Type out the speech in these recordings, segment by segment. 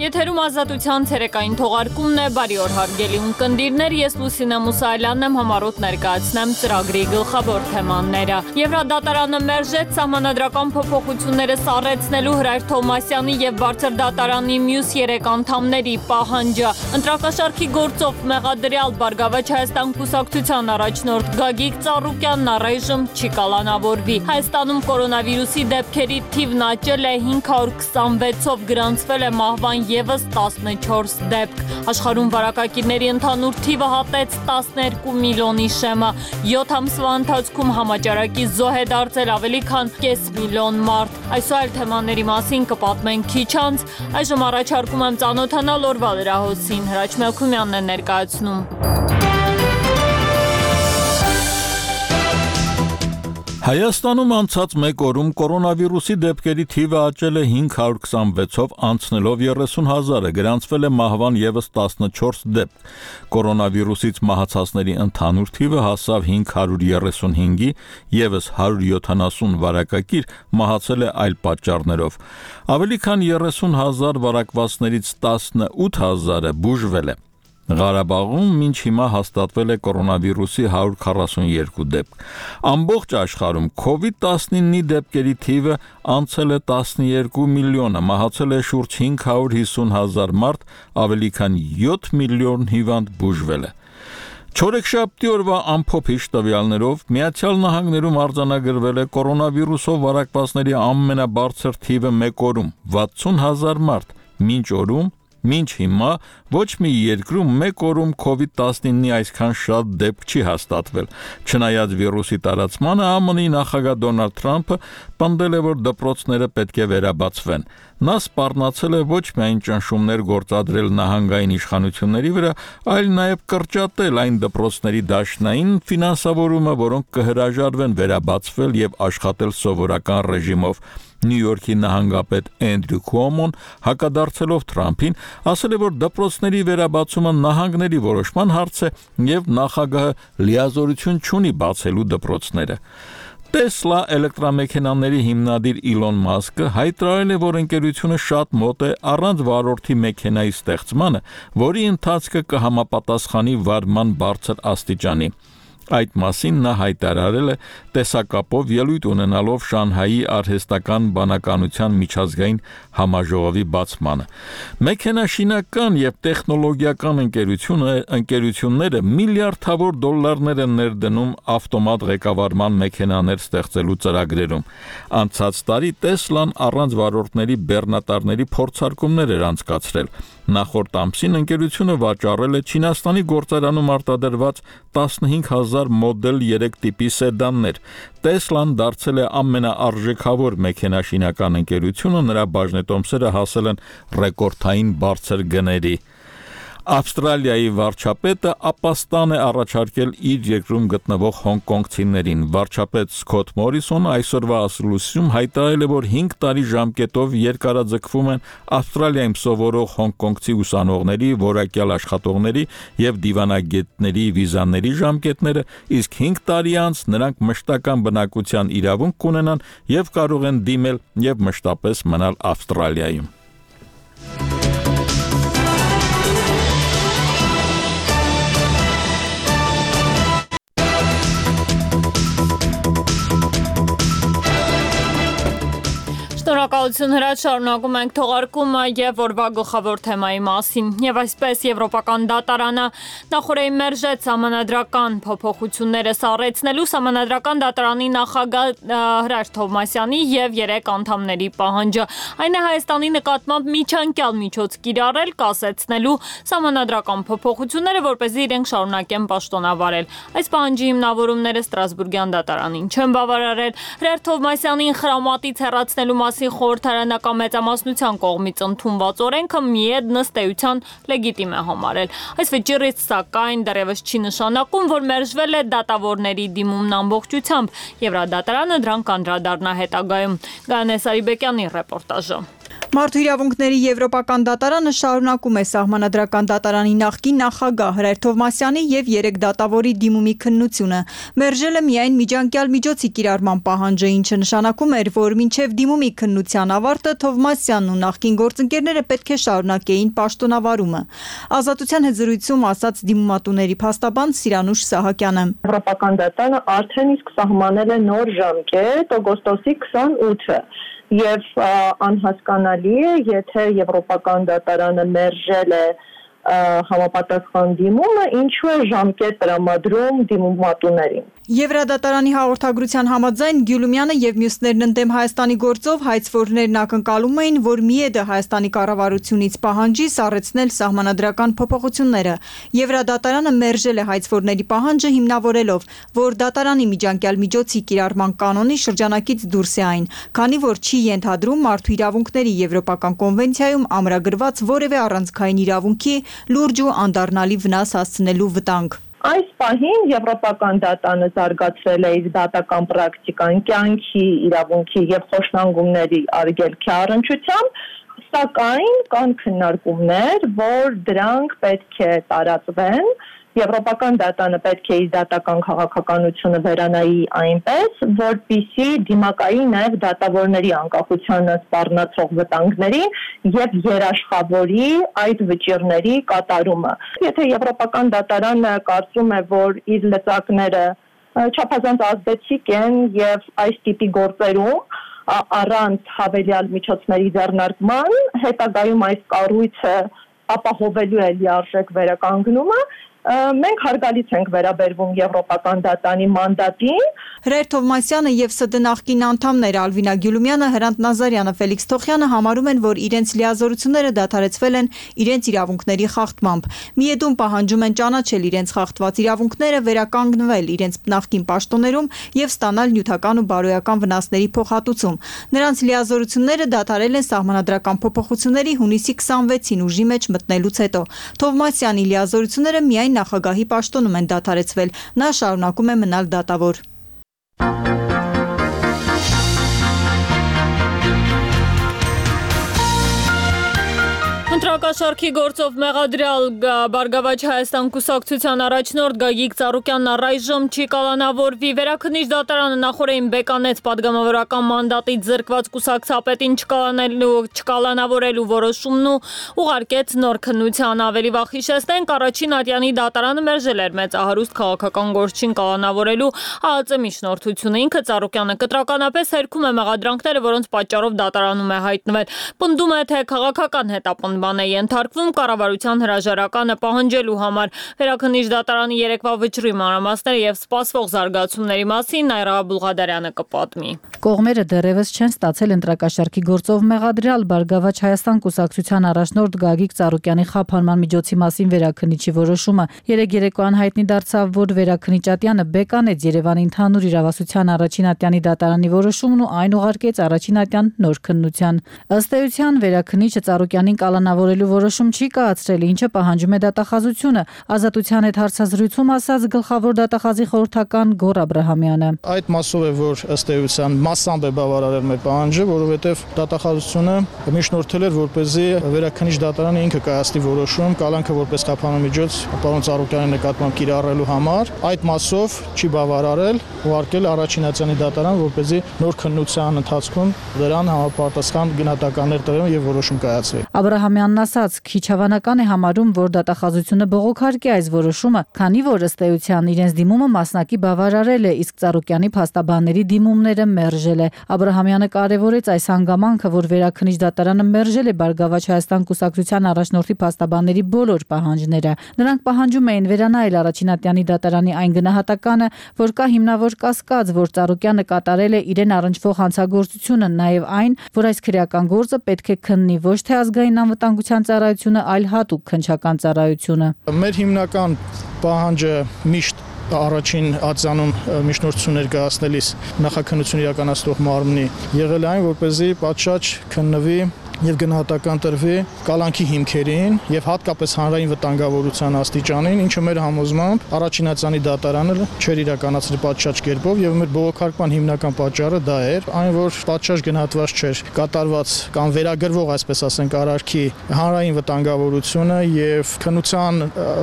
Եթերում ազատության ցերեկային թողարկումն է, բարի օր հարգելի ունկնդիրներ, ես Լուսինե Մուսայելյանն եմ, համառոտ ներկայացնեմ ծրագրի գլխավոր թեմաները։ Եվրադատարանը մերժեց սահմանադրական փոփոխությունները սառեցնելու Հրայր Թովմասյանի եւ Բարձր դատարանի մյուս 3 անդամների պահանջը։ Ընտրակաշառքի գործով մեղադրյալ Բարգավաճ Հայաստան կուսակցության առաջնորդ Գագիկ Ծառուկյանն առայժմ չի կալանավորվի։ Հայաստանում կորոնավիրուսի դեպքերի թիվն աճել է 526-ով, գրանցվել է մահվան ևս 14 դեպք։ Աշխարհում վարակակիրների ընդհանուր թիվը հատեց 12 միլիոնի շեմը։ 7 ամսվա ընթացքում համաճարակի զոհ է դարձել ավելի քան կես միլիոն մարդ։ Այսօր այլ թեմաների մասին կպատմենք քիչ անց։ Այժմ առաջարկում եմ ծանոթանալ օրվա լրահոսին։ Հրաչ Մելքումյանն է ներկայացնում։ Հայաստանում անցած մեկ օրում կորոնավիրուսի դեպքերի թիվը աճել է 526-ով, անցնելով 30,000-ը, գրանցվել է մահվան ևս 14 դեպք։ Կորոնավիրուսից մահացածների ընդհանուր թիվը հասավ 535-ի, ևս 170 վարակակիր մահացել է այլ պատճառներով։ Ավելի քան 30,000 վարակվածներից 18,000-ը բուժվել է։ Ղարաբաղում մինչ հիմա հաստատվել է կորոնավիրուսի 142 դեպք։ Ամբողջ աշխարհում COVID-19-ի դեպքերի թիվը անցել է 12 միլիոնը, մահացել է շուրջ 550,000 մարդ, ավելի քան 7 միլիոն հիվանդ բուժվել է։ Չորեքշաբթի օրվա ամփոփիչ տվյալներով Միացյալ Նահանգներում արձանագրվել է կորոնավիրուսով վարակվածների ամենաբարձր թիվը մեկ օրում՝ 60,000 մարդ, մինչ հիմա ոչ մի երկրում մեկ օրում COVID-19-ի այսքան շատ դեպք չի հաստատվել։ Չնայած վիրուսի տարածմանը, ԱՄՆ-ի նախագահ Դոնալդ Թրամփը պնդել է, որ դպրոցները պետք է վերաբացվեն։ Նա սպառնացել է ոչ միայն ճնշումներ գործադրել նահանգային իշխանությունների վրա, այլ նաև կրճատել այն դպրոցների դաշնային ֆինանսավորումը, որոնք կհրաժարվեն վերաբացվել եւ աշխատել սովորական ռեժիմով։ Նյու Յորքի նահանգապետ Էնդրյու Քուոմոն հակադարձելով Թրամփին ասել է, որ դպրոցների վերաբացումը նահանգների որոշման հարց է եւ նախագահը լիազորություն չունի բացելու դպրոցները։ Տեսլա էլեկտրամեքենաների հիմնադիր Իլոն Մասկը հայտարարել է, որ ընկերությունը շատ մոտ է առանց վարորդի մեքենայի ստեղծմանը, որի ընթացքը կհամապատասխանի վարման բարձր աստիճանի։ Այդ մասին նա հայտարարել է տեսակապով ելույթ ունենալով Շանհայի արհեստական բանականության միջազգային համաժողովի բացմանը։ Մեքենաշինական եւ տեխնոլոգիական ընկերությունները միլիարդավոր դոլարներ են ներդնում ավտոմատ ղեկավարման մեքենաներ ստեղծելու ծրագրերում։ Անցած տարի Տեսլան առանց վարորդների բեռնատարների փորձարկումներ էր անցկացրել։ Նախորդ ամսին ընկերությունը վաճառել է Չինաստանի գործարանում արտադրված 15,000 մոդել 3 տիպի սեդաններ։ Տեսլան դարձել է ամենաարժեքավոր մեքենաշինական ընկերությունը, նրա բաժնետոմսերը հասել են ռեկորդային բարձր գների։ Ավստրալիայի վարչապետը ապաստան է առաջարկել իր երկրում գտնվող հոնկոնգցիներին։ Վարչապետ Սքոթ Մորիսոնը այսօրվա ասուլիսում հայտարարել է, որ 5 տարի ժամկետով երկարաձգվում են Ավստրալիայում սովորող հոնկոնգցի ուսանողների, որակյալ աշխատողների եւ դիվանագետների վիզաների ժամկետները, իսկ 5 տարի անց նրանք մշտական բնակության իրավունք կունենան եւ կարող են դիմել եւ մշտապես մնալ Ավստրալիայում։ Շնորհակալություն Հրաչ, շարունակում ենք թողարկումը եւ օրվա գլխավոր թեմայի մասին։ Եվ այսպես Եվրոպական դատարանը նախորդին մերժեց սահմանադրական փոփոխությունները սառեցնելու Սահմանադրական դատարանի նախագահ Հրաչ Թովմասյանի եւ 3 անդամների պահանջը։ Այն է Հայաստանի նկատմամբ միջանկյալ միջոց կիրառել, կասեցնելու սահմանադրական փոփոխությունները, որպեսզի իրենք շարունակեն պաշտոնավարել։ Այս պահանջի հիմնավորումները Ստրասբուրգյան դատարանին չեն բավարարել։ Հրաչ Թովմասյանին խրամատից հեռացնելու մասին խորհրդարանական մեծամասնության կողմից ընդունված օրենքը միեդ ըստ լեգիտիմ է համարել։ Այս վճիռից սակայն դեռևս չի նշանակում, որ մերժվել է դատավորների դիմումն ամբողջությամբ։ Եվրադատարանը դրան կանդրադառնա հետագայում։ Գայանե Սարիբեկյանի ռեպորտաժը։ Մարդու իրավունքների Եվրոպական դատարանը շարունակում է Սահմանադրական դատարանի նախկին նախագահ Հրայր Թովմասյանի և 3 դատավորի դիմումի քննությունը։ Մերժել է միայն միջանկյալ միջոցի կիրառման պահանջը, ինչը նշանակում էր, որ մինչև դիմումի քննության ավարտը Թովմասյանն ու նախկին գործընկերները պետք է շարունակեին պաշտոնավարումը։ Ազատության հետ զրույցում ասաց դիմումատուների փաստաբան Սիրանուշ Սահակյանը։ Եվրոպական դատարանը արդեն իսկ սահմանել է նոր ժամկետ օգոստոսի 28-ը։ Եվ անհասկանալի է, եթե Եվրոպական դատարանը մերժել է համապատասխան դիմումը, ինչու է ժամկետ տրամադրում դիմումատուներին։ Եվրադատարանի հաղորդագրության համաձայն Գյուլումյանը և մյուսներն ընդդեմ Հայաստանի գործով հայցվորներն ակնկալում էին, որ ՄԻԵԴ-ը Հայաստանի կառավարությունից պահանջի սառեցնել սահմանադրական փոփոխությունները։ Եվրադատարանը մերժել է հայցվորների պահանջը հիմնավորելով, որ դատարանի միջանկյալ միջոցի կիրառման կանոնի շրջանակից դուրս է այն, քանի որ չի ենթադրում մարդու իրավունքների Եվրոպական կոնվենցիայում ամրագրված որևէ առանցքային իրավունքի լուրջ ու անդառնալի վնաս հասցնելու վտանգ։ Այս պահին Եվրոպական դատարանը զարգացրել է իր դատական պրակտիկան կյանքի, իրավունքի և խոշտանգումների արգելքի առնչությամբ, սակայն կան քննարկումներ, որ դրանք պետք է տարածվեն։ Եվրոպական դատարանը պետք է իր դատական քաղաքականությունը վերանայի այնպես, որպեսզի դիմակայի նաև դատավորների անկախությանը սպառնացող վտանգներին և երաշխավորի այդ վճիռների կատարումը։ Եթե Եվրոպական դատարանը կարծում է, որ իր լծակները չափազանց ազդեցիկ են և այս տիպի գործերում առանց հավելյալ միջոցների ձեռնարկման, հետագայում այս կառույցը ապահովելու է լիարժեք վերականգնումը, մենք հարգալից ենք վերաբերվում Եվրոպական դատարանի մանդատին։ Հրայր Թովմասյանը և ՍԴ նախկին անդամներ Ալվինա Գյուլումյանը, Հրանտ Նազարյանը, Ֆելիքս Թոխյանը համարում են, որ իրենց լիազորությունները դադարեցվել են իրենց իրավունքների խախտմամբ։ ՄԻԵԴ-ում պահանջում են ճանաչել իրենց խախտված իրավունքները, վերականգնվել իրենց նախկին պաշտոններում և ստանալ նյութական ու բարոյական վնասների փոխհատուցում։ Նրանց լիազորությունները դադարել են սահմանադրական փոփոխությունների հունիսի 26-ին ուժի մեջ մտնելուց հետո։ Թովմասյանի լիազորությունները միայն նախագահի պաշտոնում են դադարեցվել, նա շարունակում է մնալ դատավոր։ Ընտրակաշարքի գործով մեղադրյալ Բարգավաճ Հայաստան կուսակցության առաջնորդ Գագիկ Ծառուկյանն առայժմ չի կալանավորվի։ Վերաքննիչ դատարանը նախօրեին բեկանեց պատգամավորական մանդատից զրկված կուսակցապետին չկալանավորելու որոշումն ու ուղարկեց նոր քննության։ Ավելի վաղ հիշեցնենք, առաջին ատյանի դատարանը մերժել էր մեծահարուստ քաղաքական գործչին կալանավորելու ԱԱԾ միջնորդությունը։ Ինքը Ծառուկյանը կտրականապես հերքում է մեղադրանքները, որոնց պատճառով դատարանում է հայտնվել։ Պնդում է, թե քաղաքական հետապնդում է ենթարկվում կառավարության հրաժարականը պահանջելու համար։ Վերաքննիչ դատարանի երեկվա վճռի մանրամասները և սպասվող զարգացումների մասին Նայրա Բուլղադարյանը կպատմի։ Կողմերը դեռևս չեն ստացել ընտրակաշարքի գործով մեղադրյալ Բարգավաճ Հայաստան կուսակցության առաջնորդ Գագիկ Ծառուկյանի խափանման միջոցի մասին վերաքննիչի որոշումը։ Երեկ երեկոյան հայտնի դարձավ, որ վերաքննիչ ատյանը բեկանեց Երևանի ընդհանուր իրավասության առաջին ատյանի դատարանի որոշումն ու այն ուղարկեց առաջին ատյան նոր քննության։ Ըստ էության վերաքննիչը Ծառուկյանին կալանավորելու որոշում չի կայացրել, ինչը պահանջում է դատախազությունը։ Ազատության հետ հարցազրույցում ասաց գլխավոր դատախազի խորհրդական Գոռ Աբրահամյանը։ Այդ մասով է, որ ըստ էության մասամբ է բավարարել մեր պահանջը, որովհետև դատախազությունը միջնորդել էր, որպեսզի վերաքննիչ դատարանը ինքը կայացնի որոշում կալանքը որպես խափանման միջոց պարոն Ծառուկյանի նկատմամբ կիրառելու համար։ Այդ մասով չի բավարարել, ուղարկել առաջին ատյանի դատարան, որպեսզի նոր քննության ընթացքում դրան համապատասխան գնահատականներ տրվեն եւ որոշում կայացվի։ Աբրահամյանն ասաց, քիչ հավանական է համարում, որ դատախազությունը բողոքարկի այս որոշումը, քանի որ ըստ էության իրենց դիմումը մասնակի բավարարել է, իսկ Ծառուկյանի փաստաբանների դիմումները մերժել է։ Աբրահամյանը կարևորեց այս հանգամանքը, որ վերաքննիչ դատարանը մերժել է Բարգավաճ Հայաստան կուսակցության առաջնորդի փաստաբանների բոլոր պահանջները։ Նրանք պահանջում էին վերանայել առաջին ատյանի դատարանի այն գնահատականը, որ կա հիմնավոր կասկած, որ Ծառուկյանը կատարել է իրեն առնչվող հանցագործությունը, նաև այն, որ այս քրեական գործը պետք է քննի ոչ թե ազգային անվտանգության ծառայությունը, այլ հատուկ քննչական ծառայությունը։ Մեր հիմնական պահանջը միշտ առաջին ատյանում միջնորդություն ներկայացնելիս նախաքննություն իրականացնող մարմնի եղել այն, որպեսզի պատշաճ քննվի եւ գնահատական տրվի կալանքի հիմքերին եւ հատկապես հանրային վտանգավորության աստիճանին, ինչը մեր համոզմամբ առաջինացանի դատարանը չէր իրականացրել պատշաճ կերպով եւ մեր բողոքարկման հիմնական պատճառը դա էր, այն որ պատշաճ գնահատված չէր կատարված կամ վերագրվող, այսպես ասենք, արարքի հանրային վտանգավորությունը եւ քննության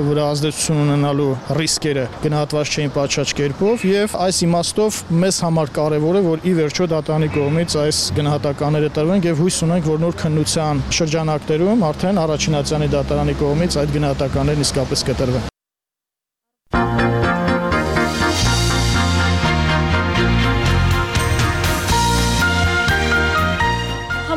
վրա ազդեցություն ունենալու ռիսկերը գնահատված չէին պատշաճ կերպով եւ այս իմաստով մեզ համար կարեւոր է, որ ի վերջո դատարանի կողմից այս գնահատականները տրվեն եւ հույս ունենք, որ նոր քննության շրջանակներում արդեն առաջինացանի դատարանի կողմից այդ գնահատականներն իսկապես կտրվեն։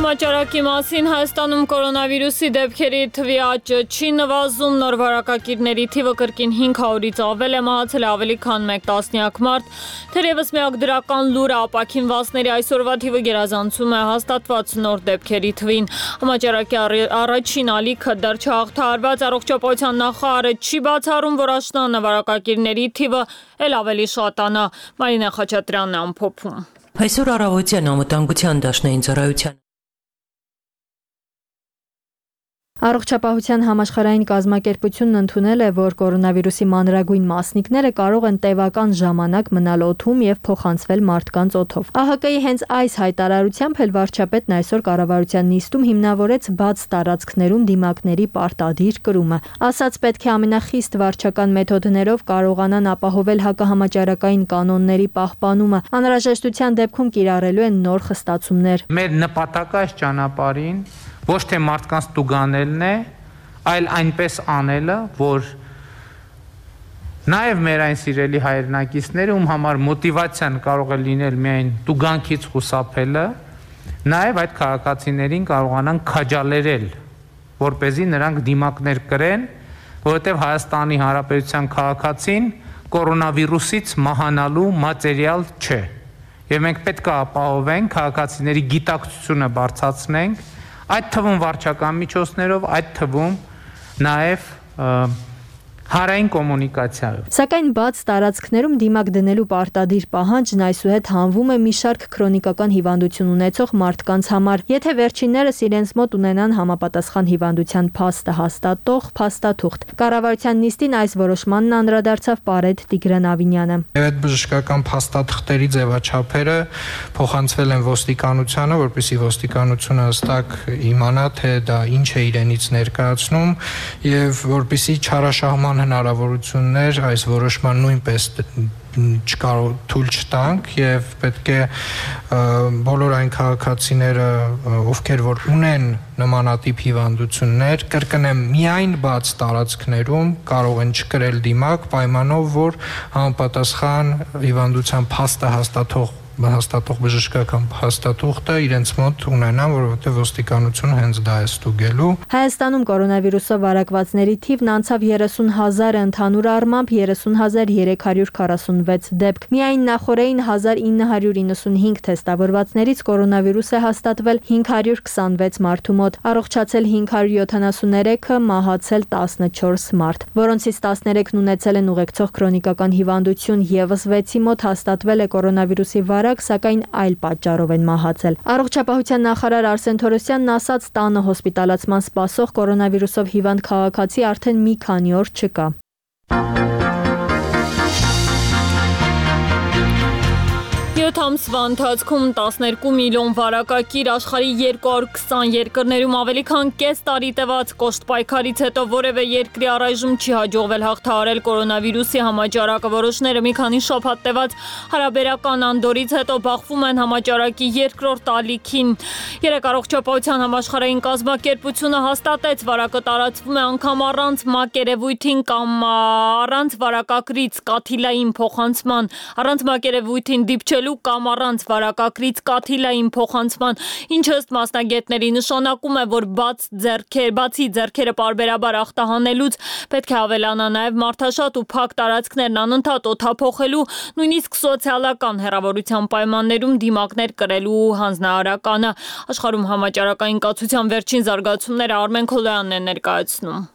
Համաճարակի մասին Հայաստանում կորոնավիրուսի դեպքերի թվի աճը չի նվազում, նոր վարակակիրների թիվը կրկին 500-ից ավել է, մահացել ավելի քան 1 տասնյակ մարդ, թերևս միակ դրական լուրը ապաքինվածների այսօրվա թիվը գերազանցում է հաստատված նոր դեպքերի թվին։ Համաճարակի առաջին ալիքը դեռ չհաղթահարված, առողջապահության նախարարը չի բացառում, որ աշնանը վարակակիրների թիվը էլ ավելի շատանա։ Մարինա Խաչատրյանն է ամփոփում։ Այսօր առավոտյան անվտանգության դաշնային ծառայության Առողջապահության համաշխարհային կազմակերպությունն ընդունել է, որ կորոնավիրուսի մանրագույն մասնիկները կարող են տևական ժամանակ մնալ օդում եւ փոխանցվել մարդկանց օդով։ ԱՀԿ-ի հենց այս հայտարարությամբ էլ վարչապետն այսօր կառավարության նիստում հիմնավորեց բաց տարածքներում դիմակների պարտադիր կրումը։ Ասաց, պետք է ամենախիստ վարչական մեթոդներով կարողանան ապահովել հակահամաճարակային կանոնների պահպանումը։ Անհրաժեշտության դեպքում կիրառելու են նոր խստացումներ։ Մեր նպատակը այս ճանապարհին ոչ թե մարդկանց տուգանելն է, այլ այնպես անելը, որ նաև մեր այն սիրելի հայրենակիցները, ում համար մոտիվացիան կարող է լինել միայն տուգանքից խուսափելը, նաև այդ քաղաքացիներին կարողանան քաջալերել, որպեսզի նրանք դիմակներ կրեն, որովհետև Հայաստանի Հանրապետության քաղաքացին կորոնավիրուսից մահանալու մատերիալ չէ։ Եվ մենք պետք է ապահովենք քաղաքացիների գիտակցությունը բարձրացնենք, այդ թվում վարչական միջոցներով, այդ թվում նաև հանրային կոմունիկացիայով։ Սակայն բաց տարածքներում դիմակ դնելու պարտադիր պահանջն այսուհետ հանվում է մի շարք քրոնիկական հիվանդություն ունեցող մարդկանց համար, եթե վերջիններս իրենց մոտ ունենան համապատասխան հիվանդության փաստը հաստատող փաստաթուղթ։ Կառավարության նիստին այս որոշմանն անդրադարձավ Պարետ Տիգրան Ավինյանը։ Այդ բժշկական փաստաթղթերի ձևաչափերը փոխանցվել են ոստիկանությանը, որպեսզի ոստիկանությունը հստակ իմանա, թե դա ինչ է իրենից ներկայացնում եւ որպեսզի չարաշահման հնարավորություններ այս որոշման նույնպես թույլ չտանք եւ պետք է բոլոր այն քաղաքացիները, ովքեր որ ունեն նմանատիպ հիվանդություններ, կրկնեմ, միայն բաց տարածքներում կարող են չկրել դիմակ պայմանով, որ համապատասխան հիվանդության փաստը հաստատող բժշկական փաստաթուղթը իրենց մոտ ունենան, որովհետև ոստիկանությունը հենց դա է ստուգելու։ Հայաստանում կորոնավիրուսով վարակվածների թիվն անցավ 30,000-ը, ընդհանուր առմամբ 30,346 դեպք։ Միայն նախորդին 1995 թեստավորվածներից կորոնավիրուս է հաստատվել 526 մարդու մոտ, առողջացել 573-ը, մահացել 14 մարդ, որոնցից 13-ն ունեցել են ուղեկցող քրոնիկական հիվանդություն, եւս 6-ի մոտ հաստատվել է կորոնավիրուսի սակայն այլ պատճառով են մահացել։ Առողջապահության նախարար Արսեն Թորոսյանն ասաց, տանը հոսպիտալացման սպասող կորոնավիրուսով հիվանդ քաղաքացի արդեն մի քանի օր չկա։ 7 ամսվա ընթացքում 12 միլիոն վարակակիր աշխարհի 220 երկրներում ավելի քան կես տարի տևած կոշտ պայքարից հետո որևէ երկրի առայժմ չի հաջողվել հաղթահարել կորոնավիրուսի համաճարակը։ Որոշները մի քանի շաբաթ տևած հարաբերական անդորից հետո բախվում են համաճարակի երկրորդ ալիքին։ Երեք առողջապահության համաշխարհային կազմակերպությունը հաստատեց, վարակը տարածվում է անգամ առանց մակերևույթին կամ առանց վարակակրից կաթիլային փոխանցման, առանց մակերևույթին դիպչելու կամ առանց վարակակրից կաթիլային փոխանցման, ինչը ըստ մասնագետների նշանակում է, որ բացի ձեռքերը պարբերաբար ախտահանելուց պետք է ավելանա նաև մարդաշատ ու փակ տարածքներն անընդհատ օդափոխելու, նույնիսկ սոցիալական հեռավորության պայմաններում դիմակներ կրելու հանձնարարականը։ Աշխարհում համաճարակային կացության վերջին զարգացումները Արմեն Քոլոյանն է ներկայացնում։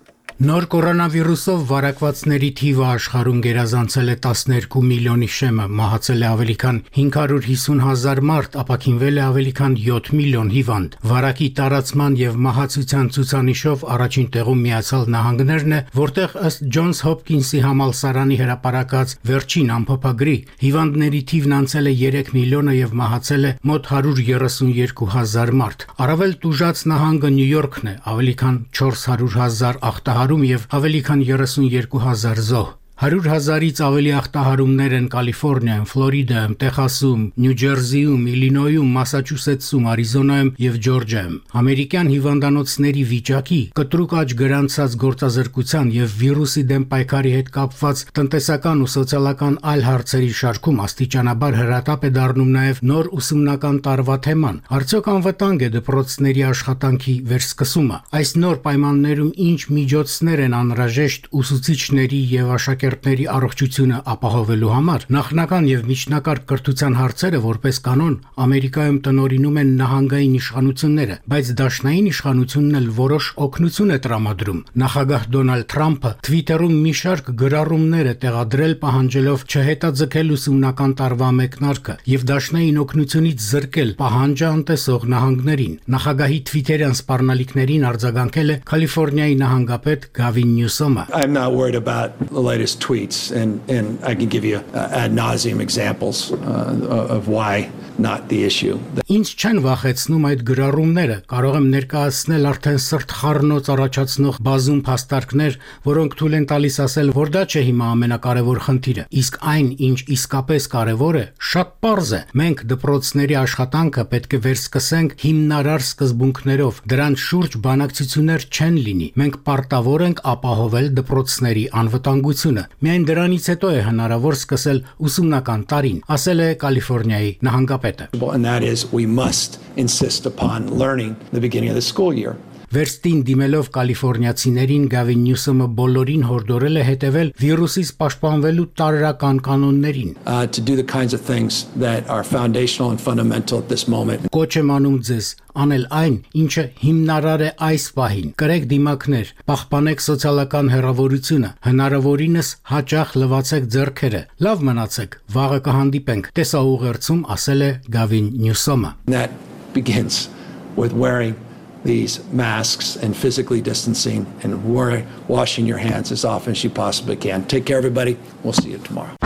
Նոր կորոնավիրուսով վարակվածների թիվը աշխարհում գերազանցել է 12 միլիոնի շեմը, մահացել է ավելի քան 550,000 մարդ, ապաքինվել է ավելի քան 7 միլիոն հիվանդ։ Վարակի տարածման եւ մահացության ցուցանիշով առաջին տեղում Միացյալ Նահանգներն է, որտեղ ըստ Ջոնս Հոփքինսի համալսարանի հրապարակած վերջին ամփոփագրի հիվանդների թիվն անցել է 3 միլիոնը եւ մահացել է մոտ 132,000 մարդ։ Առավել տուժած նահանգը Նյու Յորքն է, ավելի քան 400,000 ախտահարում եւ ավելի քան 32,000 զոհ։ 100,000-ից ավելի ախտահարումներ են Կալիֆոռնիայում, Ֆլորիդայում, Տեխասում, Նյու Ջերսիում, Իլինոյում, Մասաչուսեթսում, Արիզոնայում եւ Ջորջիայում։ Ամերիկյան հիվանդանոցների վիճակի, կտրուկ աճ գրանցած գործազրկության եւ վիրուսի դեմ պայքարի հետ կապված տնտեսական ու սոցիալական այլ հարցերի շարքում աստիճանաբար հրատապ է դառնում նաեւ նոր ուսումնական տարվա թեման։ Արդյոք անվտանգ է դպրոցների աշխատանքի վերսկսումը։ Այս նոր պայմաններում ինչ միջոցներ են անհրաժեշտ ուսուցիչների եւ աշակերտների առողջությունը ապահովելու համար։ Նախնական եւ միջնակարգ կրթության հարցերը որպես կանոն Ամերիկայում տնօրինում են նահանգային իշխանությունները, բայց դաշնային իշխանությունն էլ որոշ օգնություն է տրամադրում։ Նախագահ Դոնալդ Թրամփը Twitter-ում մի շարք գրառումներ է տեղադրել պահանջելով չհետաձգել ուսումնական տարվա մեկնարկը եւ դաշնային օգնությունից զրկել պահանջը անտեսող նահանգներին։ Նախագահի Twitter-յան սպառնալիքներին արձագանքել է Կալիֆոռնիայի նահանգապետ Գավին Նյուսոմը։ I'm not worried about the latest tweets, and I can give you ad nauseum examples of why not the issue. Ինչ չեն վախեցնում այդ գրառումները, կարող եմ ներկայացնել արդեն սրտխառնոց առաջացնող բազում փաստարկներ, որոնք թույլ են տալիս ասել, որ դա չէ հիմա ամենակարևոր խնդիրը, իսկ այն, ինչ իսկապես կարևոր է, շատ պարզ է։ Մենք դպրոցների աշխատանքը պետք է վերսկսենք հիմնարար սկզբունքներով, դրանց շուրջ բանակցություններ չեն լինի։ Մենք պարտավոր ենք ապահովել դպրոցների անվտանգությունը։ Միայն դրանից հետո է հնարավոր սկսել ուսումնական տարին, ասել է Կալիֆոռնիայի նահանգապետը։ And that is, we must insist upon learning the beginning of the school year. Վերստին դիմելով կալիֆոռնիացիներին Գավին Նյուսոմը բոլորին հորդորել է հետևել վիրուսից պաշտպանվելու տարրական կանոններին։ To do the kinds of things that are foundational and fundamental at this moment. Կոչ եմ անում ձեզ անել այն, ինչը հիմնարար է այս պահին։ Կրեք դիմակներ, պահպանեք սոցիալական հեռավորությունը, հնարավորինս հաճախ լվացեք ձեռքերը։ Լավ մնացեք, վաղը կհանդիպենք։ Տեսաուղերձում ասել է Գավին Նյուսոմը։ That begins with wearing these masks and physically distancing and washing your hands as often as you possibly can. Take care, everybody. We'll see you tomorrow.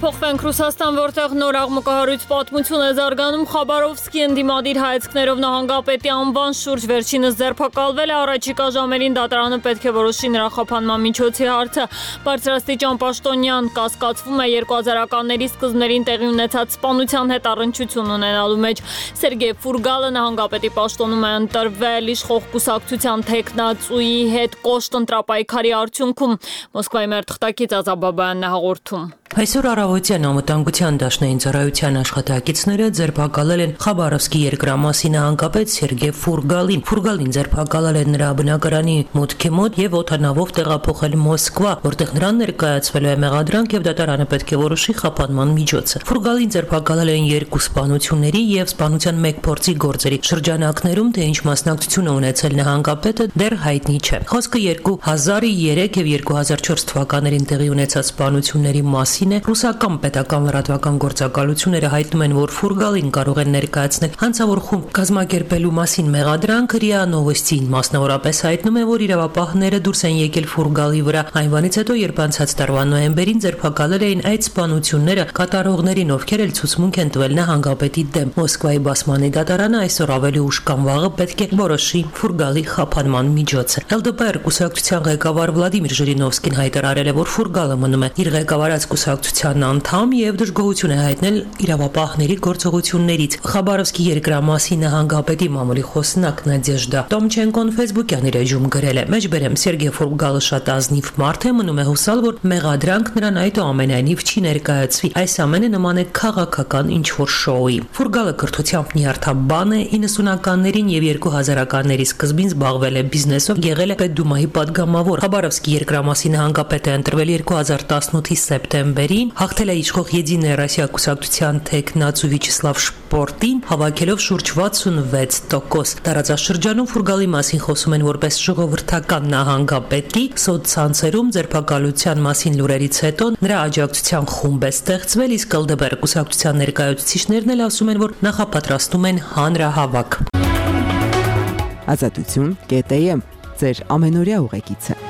Փոխվենք Ռուսաստան, որտեղ նոր աղմկահարույց պատմություն է զարգանում։ Խաբարովսկի ընդդիմադիր հայացքներով նահանգապետի անվան շուրջ վերջինս ձերբակալվել է։ Առաջիկա ժամերին դատարանը պետք է որոշի նրա խափանման միջոցի հարցը։ Բարձրաստիճան պաշտոնյան կասկածվում է 2000-ականների սկզբներին տեղի ունեցած սպանության հետ առնչություն ունենալու մեջ։ Սերգեյ Ֆուրգալը նահանգապետի պաշտոնում է ընտրվել իշխող կուսակցության թեկնածուի հետ կոշտ ընտրապայքարի արդյունքում։ Մոսկվայի մեր թղթակից Ազաբաբայանն է հաղորդում։ Այսօր առավոտյան անվտանգության դաշնային ծառայության աշխատակիցները ձերբակալել են Խաբարովսկի երկրամասի նահանգապետ Սերգեյ Ֆուրգալին։ Ֆուրգալին ձերբակալել են նրա բնակարանի մուտքի մոտ եւ օդանավով տեղափոխել Մոսկվա, որտեղ նրան ներկայացվելու է մեղադրանք եւ դատարանը պետք է որոշի խափանման միջոցը։ Ֆուրգալին ձերբակալել են երկու սպանությունների եւ սպանության մեկ փորձի գործերի շրջանակներում, թե ինչ մասնակցություն է ունեցել նահանգապետը դեռ հայտնի չէ։ Խոսքը 2003 եւ 2004 թվականներին տեղի ունեցած սպանությունների մասին Ռուսական պետական լրատվական գործակալությունները հայտնում են, որ Ֆուրգալին կարող են ներկայացնել հանցավոր խումբ կազմակերպելու մասին մեղադրանք։ ՌԻԱ Նովոստին մասնավորապես հայտնում է, որ իրավապահները դուրս են եկել Ֆուրգալի վրա այնվանից հետո, երբ անցած տարվա նոյեմբերին ձերբակալել էին այդ սպանությունները կատարողներին, ովքեր էլ ցուցմունք են տվել նահանգապետի դեմ։ Մոսկվայի բասմանի դատարանը այսօր ավելի ուշ կամ վաղը պետք է որոշի Ֆուրգալի խափանման միջոցը։ ԼԴՊ կուսակցության ղեկավար Վլադիմիր Ժիրինովսկին հայտարարել է, որ Ֆուրգալը մնում է իր ղեկավարած կուսակցության անդամ եւ դժգոհություն է հայտնել իրավապահների գործողություններից։ Խաբարովսկի երկրամասի նահանգապետի մամուլի խոսնակ Նադեժդա Տոմչենկոն Facebook-յան իր էջում գրել է. «Մեջբերեմ Սերգեյ Ֆուրգալը շատ ազնիվ մարդ է, մնում է հուսալ, որ մեղադրանք նրան այդուամենայնիվ չի ներկայացվի։ Այս ամենը նման է քաղաքական ինչ-որ շոուի»։ Ֆուրգալը կրթությամբ նյարդաբան է, 90-ականներին եւ 2000-ականների սկզբին զբաղվել է բիզնեսով, եղել է Պետդումայի պատգամավոր։ Խաբարովսկի երկրամասի նահանգապետ է ընտրվել 2018-ի սեպտեմբերին նավերին, հաղթել է իշխող Եդինայա Ռոսիա կուսակցության թեկնածու Վիաչեսլավ Շպորտին, հավաքելով շուրջ 66%։ Տարածաշրջանում ֆուրգալի մասին խոսում են որպես ժողովրդական նահանգապետի, սոցցանցերում ձերբակալության մասին լուրերից հետո նրա աջակցության խումբ է ստեղծվել, իսկ ԼԴԲ կուսակցության ներկայացուցիչներն էլ ասում են, որ նախապատրաստում են հանրահավաք։ Ազատություն.am ձեր ամենօրյա ուղեկիցը։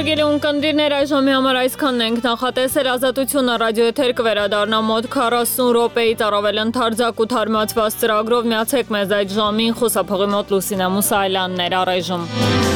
Հարգելի ունկնդիրներ, այժմի համար այսքանն ենք նախատեսել։ Ազատությունը ռադիոեթեր կվերադառնա մոտ 40 րոպեից առավել ընդարձակ ու թարմացված ծրագրով։ Միացեք մեզ այդ ժամին, խոսափողի մոտ Լուսինե Մուսայելյանն էր առայժմ։